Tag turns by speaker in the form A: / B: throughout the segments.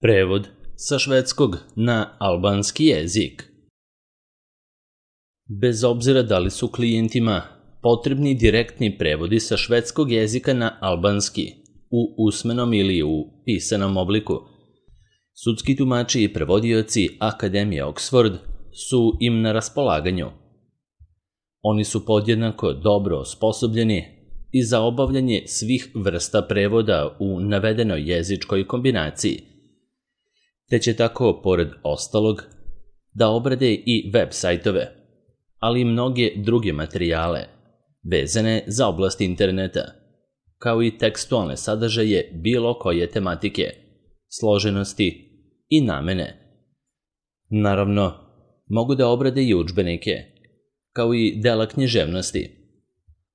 A: Prevod sa švedskog na albanski jezik. Bez obzira da li su klijentima potrebni direktni prevodi sa švedskog jezika na albanski u usmenom ili u pisanom obliku, sudski tumači i prevodioci Akademije Oxford su im na raspolaganju. Oni su podjednako dobro osposobljeni i za obavljanje svih vrsta prevoda u navedenoj jezičkoj kombinaciji, te će tako, pored ostalog, da obrade i web sajtove, ali i mnoge druge materijale vezane za oblast interneta, kao i tekstualne sadržaje bilo koje tematike, složenosti i namene. Naravno, mogu da obrade i udžbenike, kao i dela književnosti,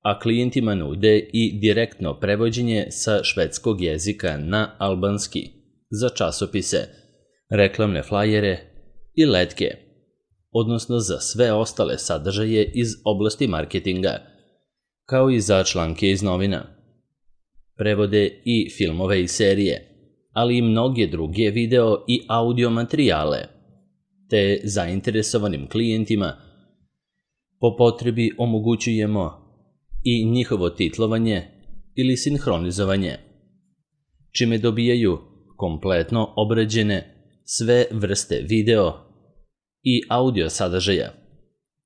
A: a klijentima nude i direktno prevođenje sa švedskog jezika na albanski za časopise, reklamne flajere i letke, odnosno za sve ostale sadržaje iz oblasti marketinga, kao i za članke iz novina. Prevode i filmove i serije, ali i mnoge druge video i audio materijale, te zainteresovanim klijentima po potrebi omogućujemo i njihovo titlovanje ili sinhronizovanje, čime dobijaju kompletno obrađene sve vrste video i audio sadržaja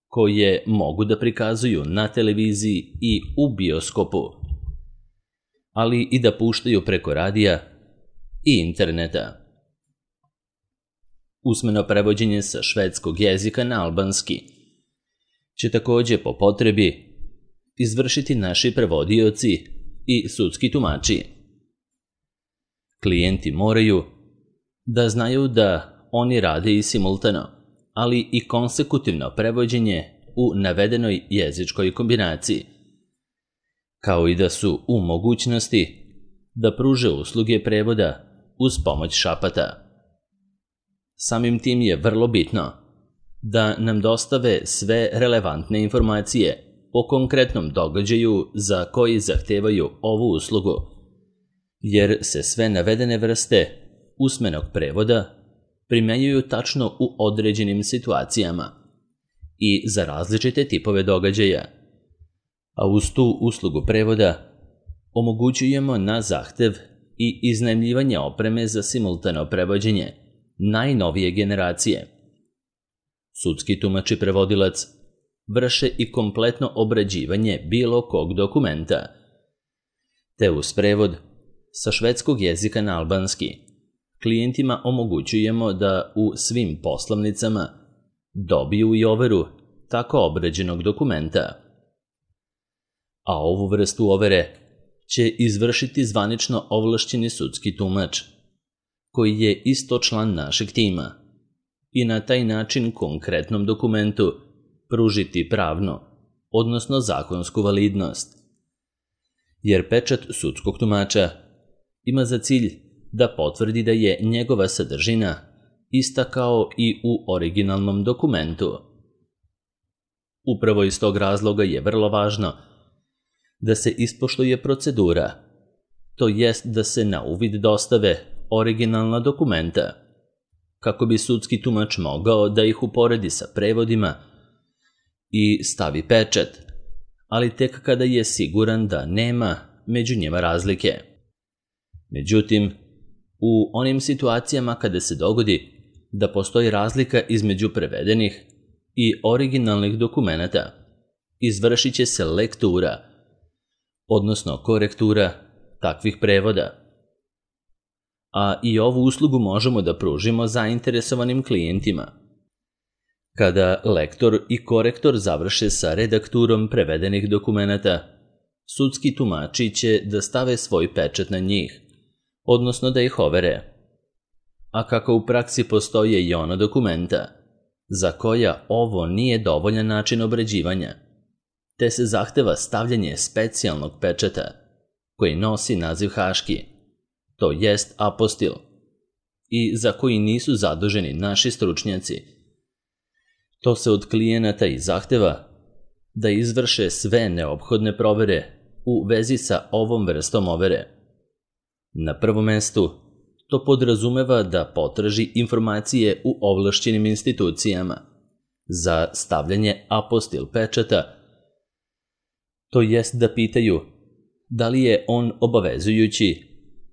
A: koje mogu da prikazuju na televiziji i u bioskopu, ali i da puštaju preko radija i interneta. Usmeno prevođenje sa švedskog jezika na albanski će takođe po potrebi izvršiti naši prevodioci i sudski tumači. Klijenti moraju da znaju da oni rade i simultano, ali i konsekutivno prevođenje u navedenoj jezičkoj kombinaciji, kao i da su u mogućnosti da pruže usluge prevoda uz pomoć šapata. Samim tim je vrlo bitno da nam dostave sve relevantne informacije o konkretnom događaju za koji zahtevaju ovu uslugu, jer se sve navedene vrste usmenog prevoda primenjuju tačno u određenim situacijama i za različite tipove događaja, a uz tu uslugu prevoda omogućujemo na zahtev i iznajmljivanje opreme za simultano prevođenje najnovije generacije. Sudski tumač i prevodilac vrše i kompletno obrađivanje bilo kog dokumenta, te uz prevod sa švedskog jezika na albanski klijentima omogućujemo da u svim poslovnicama dobiju i overu tako obrađenog dokumenta. A ovu vrstu overe će izvršiti zvanično ovlašćeni sudski tumač, koji je isto član našeg tima, i na taj način konkretnom dokumentu pružiti pravnu, odnosno zakonsku validnost. Jer pečat sudskog tumača ima za cilj da potvrdi da je njegova sadržina ista kao i u originalnom dokumentu. Upravo iz tog razloga je vrlo važno da se ispoštuje procedura, to jest da se na uvid dostave originalna dokumenta, kako bi sudski tumač mogao da ih uporedi sa prevodima i stavi pečat, ali tek kada je siguran da nema među njima razlike. Međutim, u onim situacijama kada se dogodi da postoji razlika između prevedenih i originalnih dokumenata, izvršit će se lektura, odnosno korektura takvih prevoda. A i ovu uslugu možemo da pružimo zainteresovanim klijentima. Kada lektor i korektor završe sa redakturom prevedenih dokumenata, sudski tumači će da stave svoj pečat na njih, odnosno da ih overe. A kako u praksi postoje i ona dokumenta za koja ovo nije dovoljan način obrađivanja, te se zahteva stavljanje specijalnog pečata koji nosi naziv haški, to jest apostil, i za koji nisu zaduženi naši stručnjaci. To se od klijenata i zahteva da izvrše sve neophodne provere u vezi sa ovom vrstom overe. Na prvom mestu, To podrazumeva da potraži informacije u ovlašćenim institucijama za stavljanje apostil pečata, to jest da pitaju da li je on obavezujući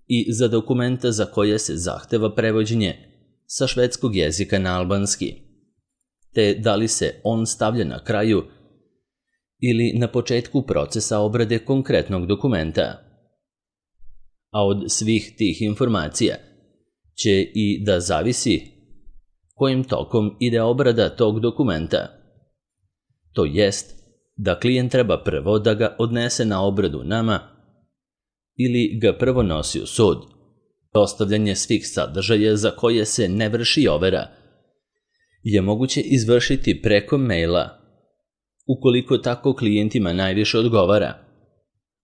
A: i za dokumenta za koje se zahteva prevođenje sa švedskog jezika na albanski, te da li se on stavlja na kraju ili na početku procesa obrade konkretnog dokumenta. A od svih tih informacija će i da zavisi kojim tokom ide obrada tog dokumenta. To jest da klijent treba prvo da ga odnese na obradu nama ili ga prvo nosi u sud. Dostavljanje svih sadržaja za koje se ne vrši overa je moguće izvršiti preko maila, ukoliko tako klijentima najviše odgovara,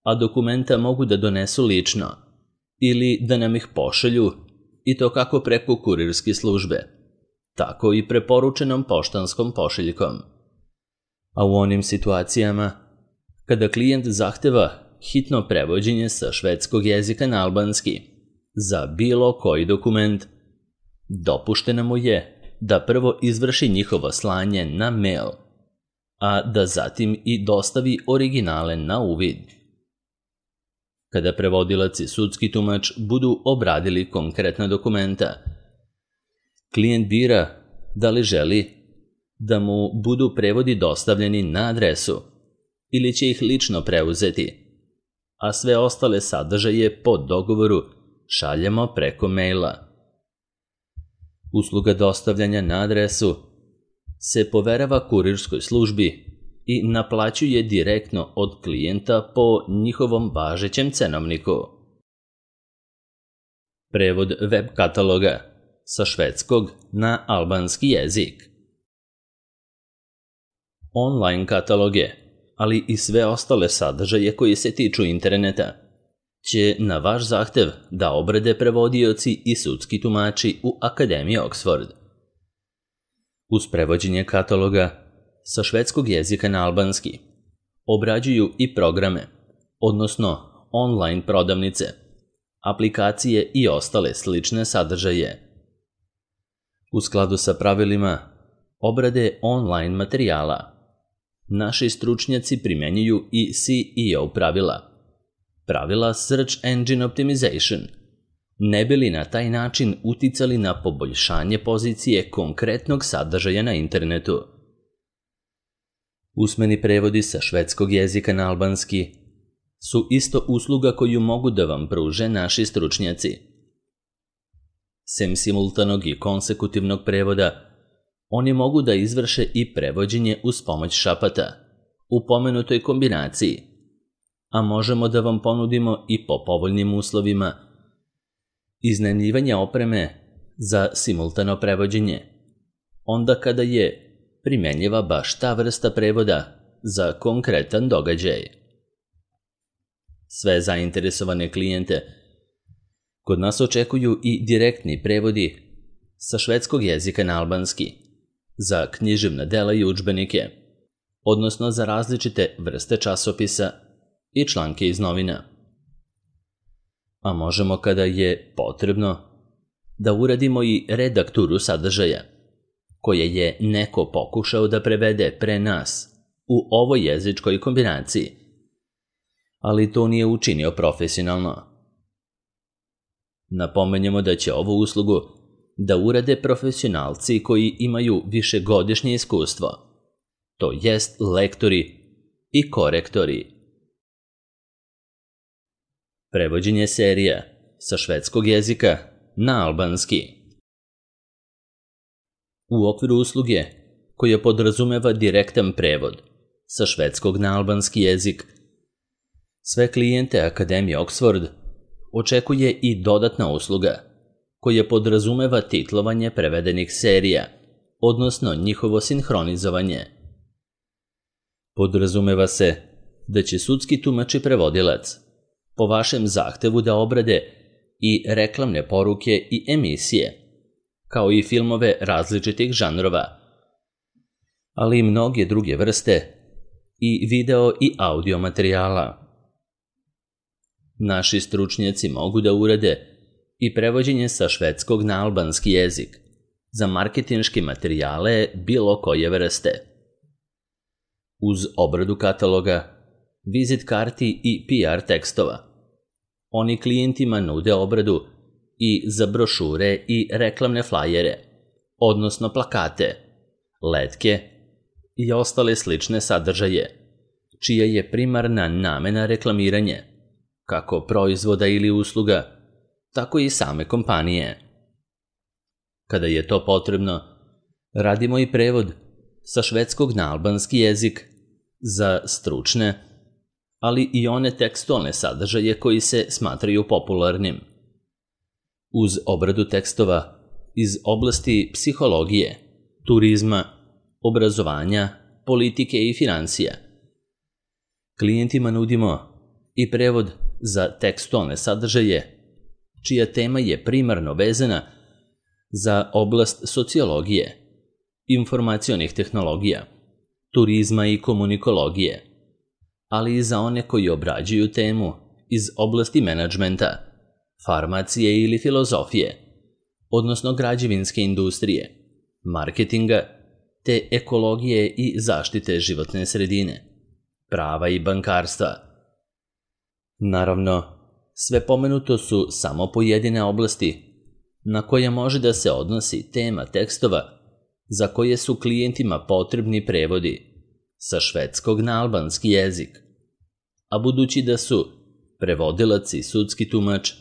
A: a dokumenta mogu da donesu lično ili da nam ih pošalju, i to kako preko kurirske službe, tako i preporučenom poštanskom pošiljkom. A u onim situacijama kada klijent zahteva hitno prevođenje sa švedskog jezika na albanski za bilo koji dokument, dopušteno mu je da prvo izvrši njihovo slanje na mail, a da zatim i dostavi originale na uvid. Kada prevodilac i sudski tumač budu obradili konkretna dokumenta, klijent bira da li želi da mu budu prevodi dostavljeni na adresu ili će ih lično preuzeti, a sve ostale sadržaje po dogovoru šaljemo preko maila. Usluga dostavljanja na adresu se poverava kurirskoj službi i naplaćuje direktno od klijenta po njihovom važećem cenovniku. Prevod web kataloga sa švedskog na albanski jezik. Online kataloge, ali i sve ostale sadržaje koji se tiču interneta, će na vaš zahtev da obrade prevodioci i sudski tumači u Akademiji Oxford. Uz prevođenje kataloga sa švedskog jezika na albanski obrađuju i programe, odnosno online prodavnice, aplikacije i ostale slične sadržaje. U skladu sa pravilima obrade online materijala, naši stručnjaci primjenjuju i SEO pravila Search Engine Optimization, ne bi li na taj način uticali na poboljšanje pozicije konkretnog sadržaja na internetu. Usmeni prevodi sa švedskog jezika na albanski su isto usluga koju mogu da vam pruže naši stručnjaci. Sem simultanog i konsekutivnog prevoda, oni mogu da izvrše i prevođenje uz pomoć šapata u pomenutoj kombinaciji, a možemo da vam ponudimo i po povoljnim uslovima iznajmljivanje opreme za simultano prevođenje, onda kada je primenjiva baš ta vrsta prevoda za konkretan događaj. Sve zainteresovane klijente kod nas očekuju i direktni prevodi sa švedskog jezika na albanski za književna dela i udžbenike, odnosno za različite vrste časopisa i članke iz novina. A možemo kada je potrebno da uradimo i redakturu sadržaja koje je neko pokušao da prevede pre nas u ovoj jezičkoj kombinaciji, ali to nije učinio profesionalno. Napomenjemo da će ovu uslugu da urade profesionalci koji imaju višegodišnje iskustvo, to jest lektori i korektori. Prevođenje serija sa švedskog jezika na albanski. U okviru usluge koja podrazumeva direktan prevod sa švedskog na albanski jezik, sve klijente Akademije Oxford očekuje i dodatna usluga koja podrazumeva titlovanje prevedenih serija, odnosno njihovo sinhronizovanje. Podrazumeva se da će sudski tumač i prevodilac po vašem zahtevu da obrade i reklamne poruke i emisije, kao i filmove različitih žanrova, ali i mnoge druge vrste i video i audio materijala. Naši stručnjaci mogu da urade i prevođenje sa švedskog na albanski jezik za marketinške materijale bilo koje vrste. Uz obradu kataloga, vizit karti i PR tekstova, oni klijentima nude obradu i za brošure i reklamne flajere, odnosno plakate, letke i ostale slične sadržaje, čija je primarna namena reklamiranje, kako proizvoda ili usluga, tako i same kompanije. Kada je to potrebno, radimo i prevod sa švedskog na albanski jezik za stručne, ali i one tekstualne sadržaje koji se smatraju popularnim. Uz obradu tekstova iz oblasti psihologije, turizma, obrazovanja, politike i financija, klijentima nudimo i prevod za tekstualne sadržaje, čija tema je primarno vezana za oblast sociologije, informacionih tehnologija, turizma i komunikologije, ali i za one koji obrađuju temu iz oblasti menadžmenta, farmacije ili filozofije, odnosno građevinske industrije, marketinga, te ekologije i zaštite životne sredine, prava i bankarstva. Naravno, sve pomenuto su samo pojedine oblasti na koje može da se odnosi tema tekstova za koje su klijentima potrebni prevodi sa švedskog na albanski jezik, a budući da su prevodilac i sudski tumač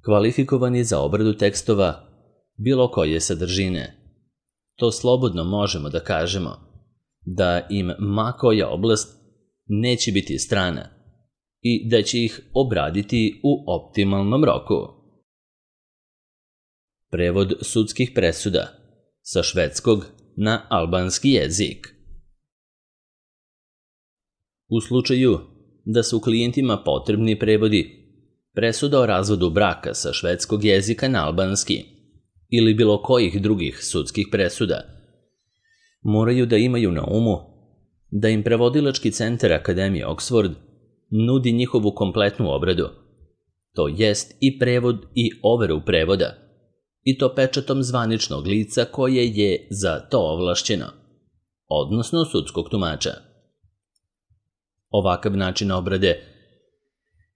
A: kvalifikovani za obradu tekstova bilo koje sadržine, to slobodno možemo da kažemo da im ma koja oblast neće biti strana i da će ih obraditi u optimalnom roku. Prevod sudskih presuda sa švedskog na albanski jezik. U slučaju da su klijentima potrebni prevodi presuda o razvodu braka sa švedskog jezika na albanski ili bilo kojih drugih sudskih presuda, moraju da imaju na umu da im prevodilački centar Akademije Oxford nudi njihovu kompletnu obradu, to jest i prevod i overu prevoda, i to pečatom zvaničnog lica koje je za to ovlašćeno, odnosno sudskog tumača. Ovakav način obrade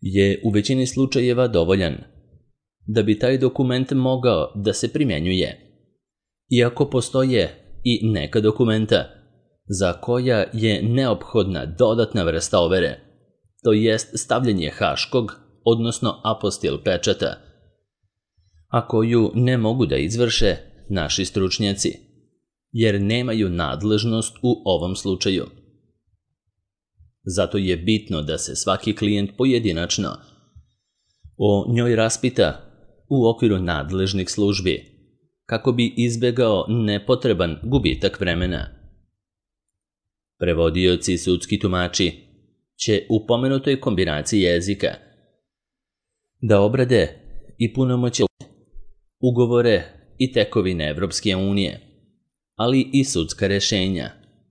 A: je u većini slučajeva dovoljan da bi taj dokument mogao da se primjenjuje, iako postoje i neka dokumenta za koja je neophodna dodatna vrsta overe, to jest stavljanje haškog, odnosno apostil pečata, a koju ne mogu da izvrše naši stručnjaci, jer nemaju nadležnost u ovom slučaju. Zato je bitno da se svaki klijent pojedinačno o njoj raspita u okviru nadležnih službi, kako bi izbegao nepotreban gubitak vremena. Prevodioci i sudski tumači će u pomenutoj kombinaciji jezika da obrade i punomoće ugovore i tekovine Evropske unije, ali i sudska rešenja,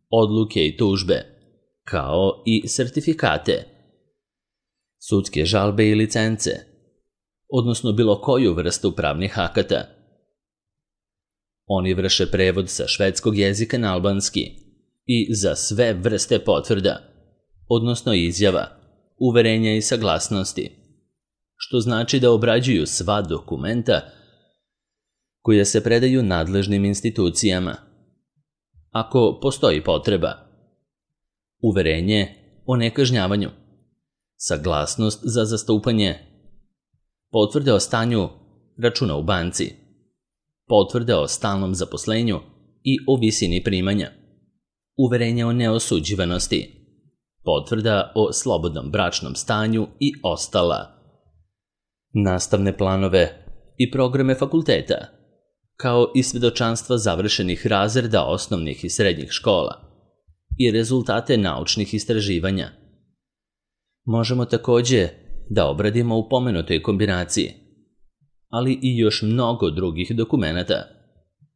A: odluke i tužbe, kao i sertifikate, sudske žalbe i licence, odnosno bilo koju vrstu pravnih akata. Oni vrše prevod sa švedskog jezika na albanski i za sve vrste potvrda, odnosno izjava, uverenja i saglasnosti, što znači da obrađuju sva dokumenta koja se predaju nadležnim institucijama. Ako postoji potreba, uverenje o nekažnjavanju, saglasnost za zastupanje, potvrde o stanju računa u banci, potvrde o stalnom zaposlenju i o visini primanja, uverenje o neosuđivanosti, potvrda o slobodnom bračnom stanju i ostala, nastavne planove i programe fakulteta, kao i svedočanstva završenih razreda osnovnih i srednjih škola i rezultate naučnih istraživanja. Možemo takođe da obradimo u pomenutoj kombinaciji, ali i još mnogo drugih dokumenata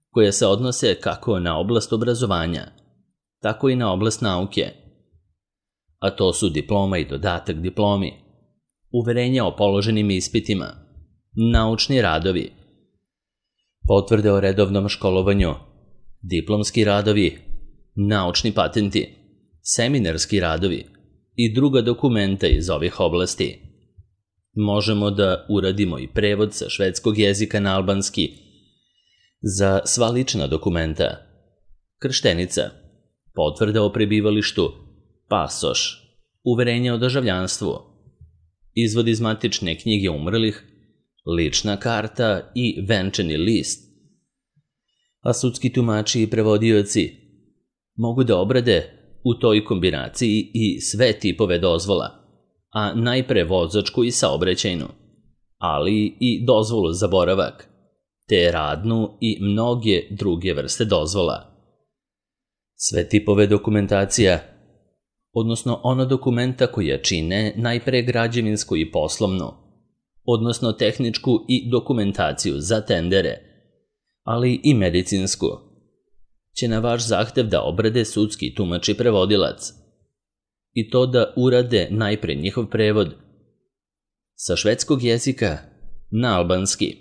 A: koje se odnose kako na oblast obrazovanja, tako i na oblast nauke, a to su diploma i dodatak diplomi, uverenja o položenim ispitima, naučni radovi, potvrde o redovnom školovanju, diplomski radovi, naučni patenti, seminarski radovi i druga dokumenta iz ovih oblasti. Možemo da uradimo i prevod sa švedskog jezika na albanski za sva lična dokumenta, krštenica, potvrda o prebivalištu, pasoš, uverenje o državljanstvu, izvod iz matične knjige umrlih, lična karta i venčani list. A sudski tumači i prevodioci mogu da obrade u toj kombinaciji i sve tipove dozvola, a najpre vozačku i saobraćajnu, ali i dozvolu za boravak, te radnu i mnoge druge vrste dozvola. Sve tipove dokumentacija, odnosno ona dokumenta koja čine najpre građevinsku i poslovnu, odnosno tehničku i dokumentaciju za tendere, ali i medicinsku, će na vaš zahtev da obrade sudski tumač i prevodilac, i to da urade najpre njihov prevod sa švedskog jezika na albanski,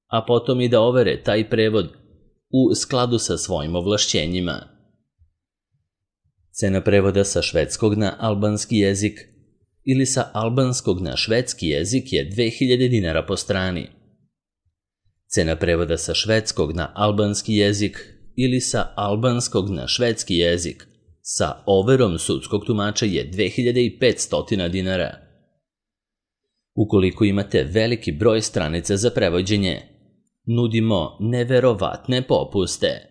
A: a potom i da overe taj prevod u skladu sa svojim ovlašćenjima. Cena prevoda sa švedskog na albanski jezik ili sa albanskog na švedski jezik je 2000 dinara po strani. Cena prevoda sa švedskog na albanski jezik ili sa albanskog na švedski jezik sa overom sudskog tumača je 2500 dinara. Ukoliko imate veliki broj stranica za prevođenje, nudimo neverovatne popuste.